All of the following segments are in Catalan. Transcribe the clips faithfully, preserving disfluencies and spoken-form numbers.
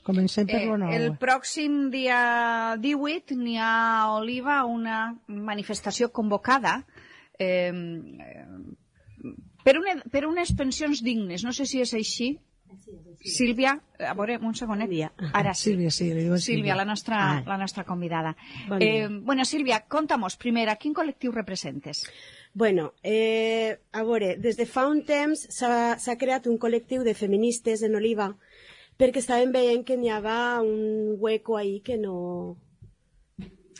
Comencem per lo nou. El pròxim dia divuit n'hi ha a Oliva una manifestació convocada eh, per, una, per unes pensions dignes. No sé si és així. Sílvia, a veure, un segonet. Ara sí. Sílvia, sí, li diu Sílvia, la nostra, la nostra convidada. Eh, bueno, Sílvia, conta-mos, primera, quin col·lectiu representes? Bueno, eh, a veure, des de fa un temps s'ha creat un col·lectiu de feministes en Oliva perquè estàvem veient que n'hi havia un hueco ahí que no...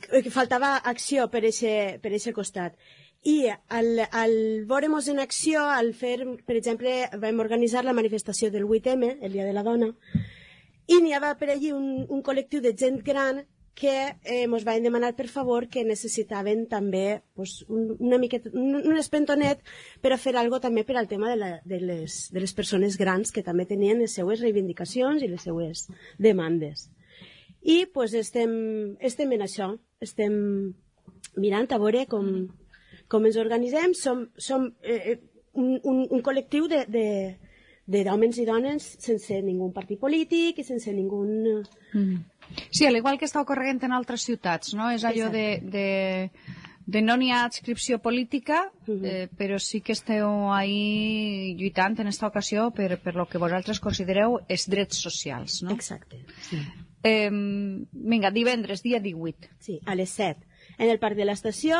que faltava acció per aquest costat. I al, al veure-nos en acció, al fer, per exemple, vam organitzar la manifestació del vuit eme, el Dia de la Dona, i n'hi havia per allí un, un col·lectiu de gent gran que eh, ens van demanar per favor que necessitaven també pues, un, una miqueta, un, un espentonet per a fer alguna cosa també per al tema de, la, de, les, de les persones grans que també tenien les seues reivindicacions i les seues demandes. I pues, estem, estem en això, estem mirant a veure com, com ens organitzem. Som, som eh, un, un, un col·lectiu de, de, de d'homes i dones sense ningú partit polític i sense ningú... Mm. Sí, al igual que està ocorrent en altres ciutats, no? És allò de, de, de no n'hi ha adscripció política, eh, però sí que esteu ahí lluitant en aquesta ocasió per, per lo que vosaltres considereu els drets socials, no? Exacte, sí. Eh, vinga, divendres, dia divuit. Sí, a les set, en el Parc de l'Estació.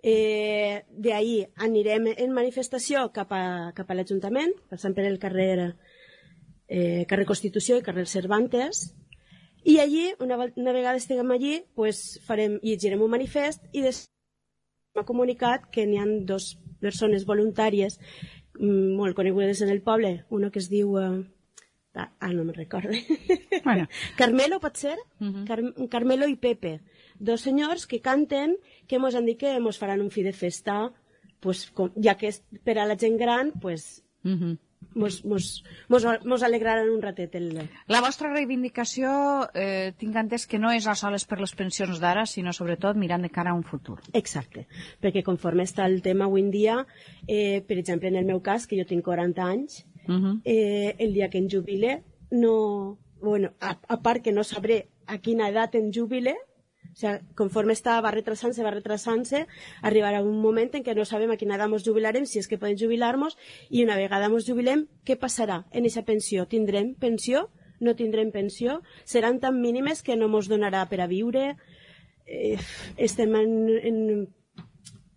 Eh, d'ahir anirem en manifestació cap a, cap a l'Ajuntament, passant per el carrer, eh, carrer Constitució i carrer Cervantes. I allí, una, una vegada estiguem allí, pues farem, llegirem un manifest i després m'ha comunicat que n'hi ha dues persones voluntàries mm, molt conegudes en el poble, una que es diu... Uh, ah, no me'n recordo. Bueno. Carmelo, pot ser? Uh-huh. Car Carmelo i Pepe. Dos senyors que canten, que mos han dit que mos faran un fi de festa, pues, com, ja que és per a la gent gran, pues... Uh-huh. Mos, mos, mos, mos alegraran un ratet el... La vostra reivindicació eh, tinc entès que no és a soles per les pensions d'ara, sinó sobretot mirant de cara a un futur. Exacte, perquè conforme està el tema avui en dia, eh, per exemple en el meu cas, que jo tinc quaranta anys, uh-huh. eh, el dia que em jubile no... Bueno, a, a part que no sabré a quina edat em jubile, o sigui, conforme està, va retrasant-se, va retrasant-se, arribarà un moment en què no sabem a quina edat ens jubilarem, si és que podem jubilar-nos, i una vegada ens jubilem, què passarà en aquesta pensió? Tindrem pensió? No tindrem pensió? Seran tan mínimes que no ens donarà per a viure? Eh, estem en... en,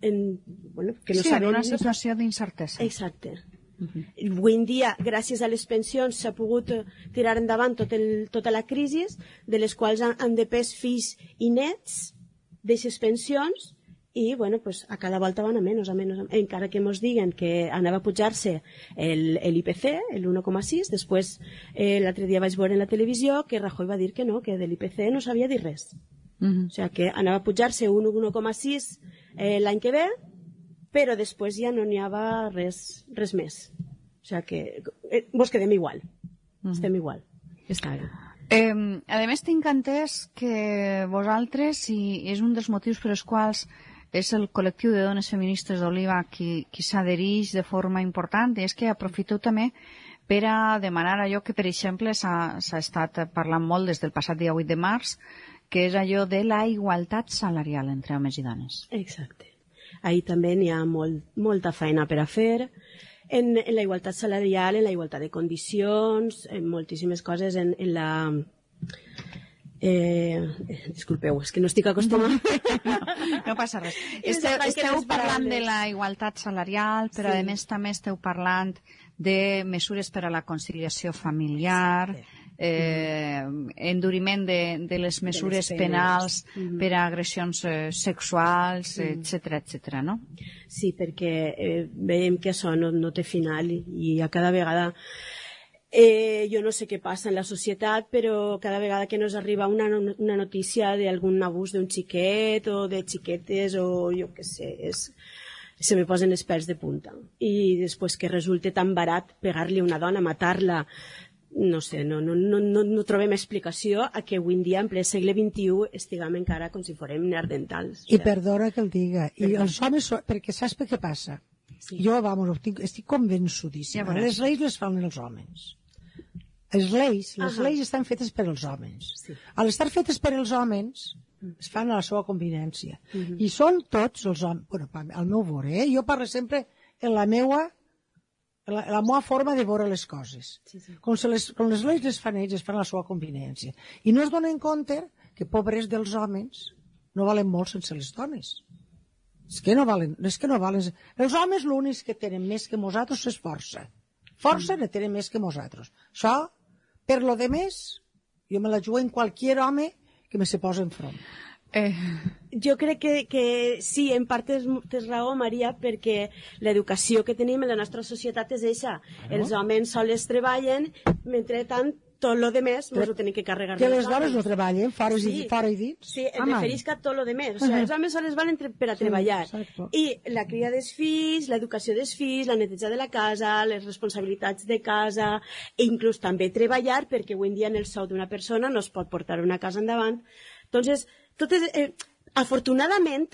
en bueno, que no sí, sabem, en una situació d'incertesa. Exacte. Uh-huh. Avui en dia, gràcies a les pensions, s'ha pogut tirar endavant tot el, tota la crisi, de les quals han, han depès fills i nets d'aquestes pensions, i bueno, pues, a cada volta van a menys, a menys, encara que ens diguen que anava a pujar-se l'I P C, el un coma sis, després eh, l'altre dia vaig veure en la televisió que Rajoy va dir que no, que de l'I P C no sabia dir res. Uh-huh. O sigui que anava a pujar-se un un coma sis eh, l'any que ve, però després ja no n'hi havia res, res més. O sigui que eh, vos quedem igual. Mm. Estem igual. Està bé. Eh, a més, tinc entès que vosaltres, i és un dels motius per als quals és el col·lectiu de dones feministes d'Oliva qui, qui s'adhereix de forma important, és que aprofiteu també per a demanar allò que, per exemple, s'ha estat parlant molt des del passat dia vuit de març, que és allò de la igualtat salarial entre homes i dones. Exacte. Ahí també n'hi ha molt, molta feina per a fer, en, en la igualtat salarial, en la igualtat de condicions, en moltíssimes coses, en, en la... Eh, disculpeu, és que no estic acostumada. No, no passa res. Esteu, esteu parlant de la igualtat salarial, però sí. A més també esteu parlant de mesures per a la conciliació familiar, eh, enduriment de, de les mesures de les penals mm-hmm. per a agressions eh, sexuals, mm. etcètera, etcètera, no? Sí, perquè eh, veiem que això no, no té final i, i a cada vegada... Eh, jo no sé què passa en la societat, però cada vegada que nos arriba una, una notícia d'algun abús d'un xiquet o de xiquetes o jo què sé, és, se me posen els pèls de punta. I després que resulta tan barat pegar-li a una dona, matar-la, no sé, no, no, no, no, no trobem explicació a que avui en dia, en ple segle vint-i-u, estiguem encara com si fórem neandertals. I perdona que el diga. I els homes, perquè saps per què passa? Sí. Jo, vamos, estic, estic convençudíssima. Ja les lleis les fan els homes. les lleis, les Ahà. lleis estan fetes per als homes. Sí. Al estar fetes per als homes, es fan a la seva conveniència. I són tots els homes, bueno, al meu veure, eh? Jo parlo sempre en la meua, en la, en la meva forma de veure les coses. Sí, sí. Com, se les, com les lleis les fan ells, es fan a la seva conveniència. I no es donen compte que pobres dels homes no valen molt sense les dones. És que no valen, és que no valen. Els homes l'únic que tenen més que nosaltres és força. Força ne tenen més que nosaltres. Això, per lo de més, jo me la jugo en qualsevol home que me se posa enfront. Eh, Jo crec que, que sí, en part tens, tens raó, Maria, perquè l'educació que tenim en la nostra societat és eixa. Els homes sols treballen, mentre tant, tot lo de més mos ho tenim que carregar. Que els les dones homes. no treballen, fora, Sí. i, fora i dins. Sí, em Home. referís que a tot lo de més. O sigui, els homes sols valen tre- per a treballar. exacte. I la cria dels fills, l'educació dels fills, la neteja de la casa, les responsabilitats de casa, i inclús també treballar, perquè avui en dia en el sou d'una persona no es pot portar una casa endavant. Entonces, tot és, eh, afortunadament,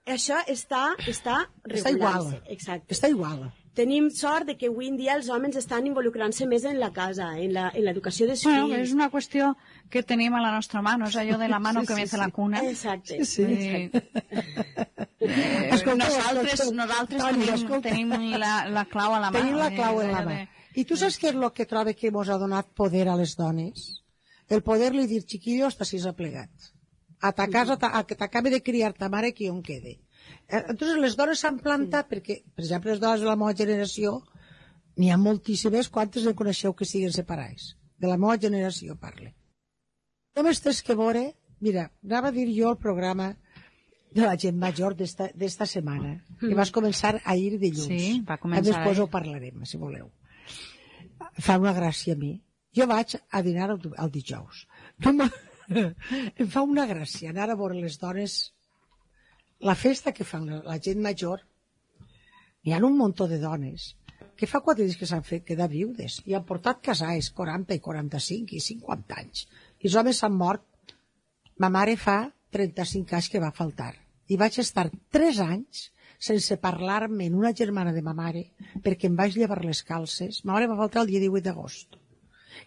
això està, està Està igual. regulant-se. Exacte. Està igual. Tenim sort de que avui en dia els homes estan involucrant-se més en la casa, en la- en l'educació dels bueno, fills. és una qüestió que tenim a la nostra mà, no és allò de la mano que mece la cuna. Exacte. Sí, Eh, eh, Escolta, nosaltres escolta, nosaltres Toni, tenim, escolta. tenim la, la clau a la mà. Tenim la eh, clau en la allò mà. de- I tu saps què és el que trobo que mos ha donat poder a les dones? El poder-li dir, chiquillo, hasta si s'ha plegat. A ta casa, ta- a que t'acabi de criar ta mare, que on quede. Eh, Entonces, les dones s'han plantat perquè, per exemple, les dones de la meva generació, n'hi ha moltíssimes, quantes en coneixeu que siguen separades? De la meva generació, parle. Només tens que veure, mira, anava a dir jo el programa de la gent major d'esta d'esta setmana, que vas començar ahir dilluns. Sí, va començar Després ahir. ho parlarem, si voleu. Fa una gràcia a mi. Jo vaig a dinar el, el dijous. No me... em fa una gràcia anar a veure les dones, la festa que fan la, la gent major. Hi ha un muntó de dones que fa quatre dies que s'han fet quedar viudes i han portat casais quaranta i quaranta-cinc i cinquanta anys. I els homes s'han mort. Ma mare fa trenta-cinc anys que va faltar. I vaig estar tres anys sense parlar-me en una germana de ma mare perquè em vaig llevar les calces. Ma mare va faltar el dia divuit d'agost.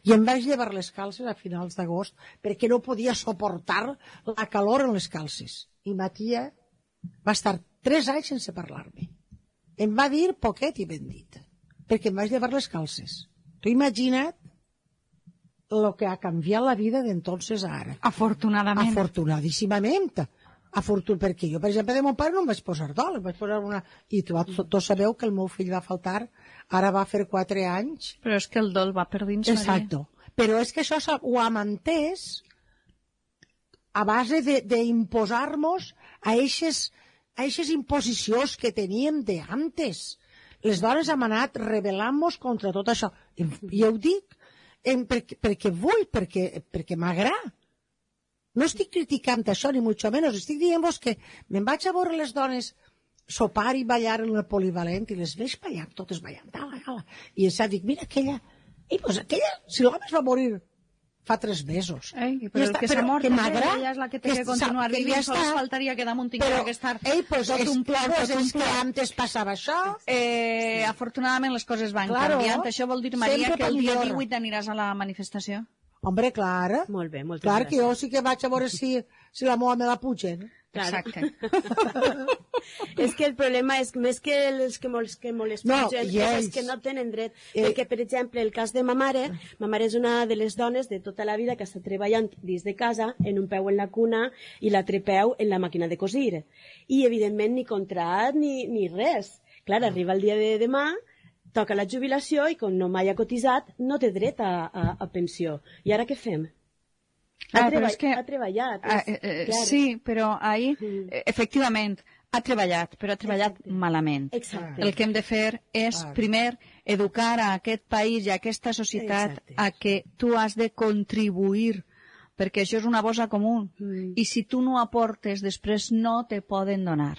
I em vaig llevar les calces a finals d'agost perquè no podia suportar la calor en les calces. I ma tia va estar tres anys sense parlar-me. Em va dir poquet i ben dit, perquè em vaig llevar les calces. Tu imagina't el que ha canviat la vida d'entonces a ara. Afortunadament. Afortunadíssimament. Afortun... Perquè jo, per exemple, de mon pare no em vaig posar dol, em vaig posar una... I tots tu sabeu que el meu fill va faltar, ara va fer quatre anys. Però és que el dol va per dins, Maria. Exacto. Però és que això s'ha- ho hem entès a base d'imposar-nos a eixes, a eixes imposicions que teníem de antes. Les dones hem anat rebel·lant-nos contra tot això. I ho dic en, perquè, perquè vull, perquè, perquè m'agrada. No estic criticant això, ni mucho menos. Estic dient-vos que me'n vaig a veure les dones sopar i ballar en el polivalent i les veig ballant, totes ballant, ala, ala. I em dic, mira aquella, i pues aquella, si l'home es va morir fa tres mesos. Ei, però I el està- que s'ha però mort, que és m'agrada, ella, és la que té que, que continuar sa- que vivint, ja sols està. faltaria que damunt tinguera Però, que estar ei, pues, tot és, un pla, pues tot un és que pla. antes passava això. Eh, afortunadament les coses van Claro. canviant. Això vol dir, Maria, Sempre que el dia millor. divuit aniràs a la manifestació? Hombre, clar. Molt bé, moltes Clar que gràcies. jo sí que vaig a veure si, si la moa me la pugen. Claro. Exacte. És que el problema és més que els que molts que molts No, pugen, i és ells. els que no tenen dret. Eh. Perquè, per exemple, el cas de ma mare, ma mare és una de les dones de tota la vida que està treballant dins de casa, en un peu en la cuna i l'altre peu en la màquina de cosir. I, evidentment, ni contrat ni, ni res. Clar, arriba el dia de demà, toca la jubilació i, com no mai ha cotitzat, no té dret a, a, a pensió. I ara què fem? Ha, Ah, però treba és que- ha treballat. Ah, és- eh, eh, clar. sí, però ahir, Mm. eh, efectivament, ha treballat, però ha treballat Exacte. malament. Exacte. El que hem de fer és, Clar. primer, educar a aquest país i a aquesta societat Exacte. a que tu has de contribuir, perquè això és una bossa comú. Mm. I si tu no aportes, després no te poden donar.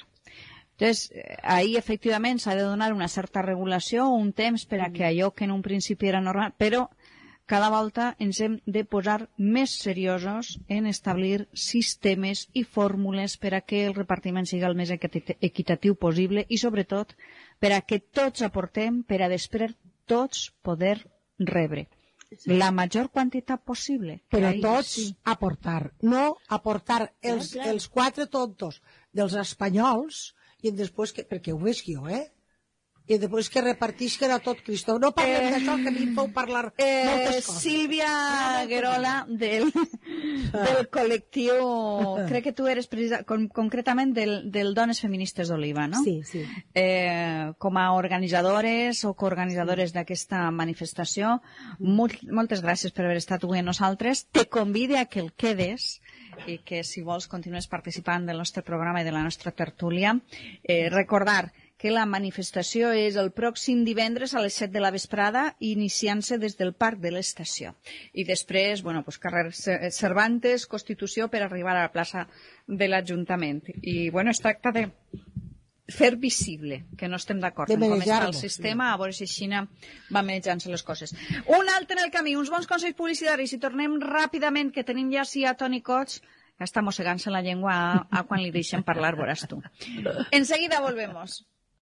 Entonces, eh, ahí efectivament s'ha de donar una certa regulació, un temps per a que allò que en un principi era normal, però cada volta ens hem de posar més seriosos en establir sistemes i fórmules per a que el repartiment sigui el més equit- equitatiu possible i, sobretot, per a que tots aportem per a després tots poder rebre. la major quantitat possible. Però Ahí, tots sí. aportar, no aportar els, clar. els quatre tontos dels espanyols i després, que, perquè ho veig jo, eh? I després que repartisquen a tot Cristo. No parlem eh, d'això, que a mi em feu parlar eh, moltes coses. Sílvia Guerola, del, del col·lectiu, crec que tu eres precisa, con, concretament del, del Dones Feministes d'Oliva, no? Sí, sí. Eh, com a organitzadores o coorganitzadores sí. d'aquesta manifestació, molt, moltes gràcies per haver estat avui amb nosaltres. Te convide a que el quedes i que, si vols, continues participant del nostre programa i de la nostra tertúlia. Eh, recordar que la manifestació és el pròxim divendres a les set de la vesprada, iniciant-se des del Parc de l'Estació. I després, bueno, pues, carrer Cervantes, Constitució, per arribar a la plaça de l'Ajuntament. I, bueno, es tracta de fer visible que no estem d'acord en com està el sistema, a veure si Xina va manejant-se les coses. Un altre en el camí, uns bons consells publicitaris, i tornem ràpidament, que tenim ja sí a Toni Cots, que està mossegant-se la llengua a, a quan li deixen parlar, veuràs tu. Enseguida volvemos.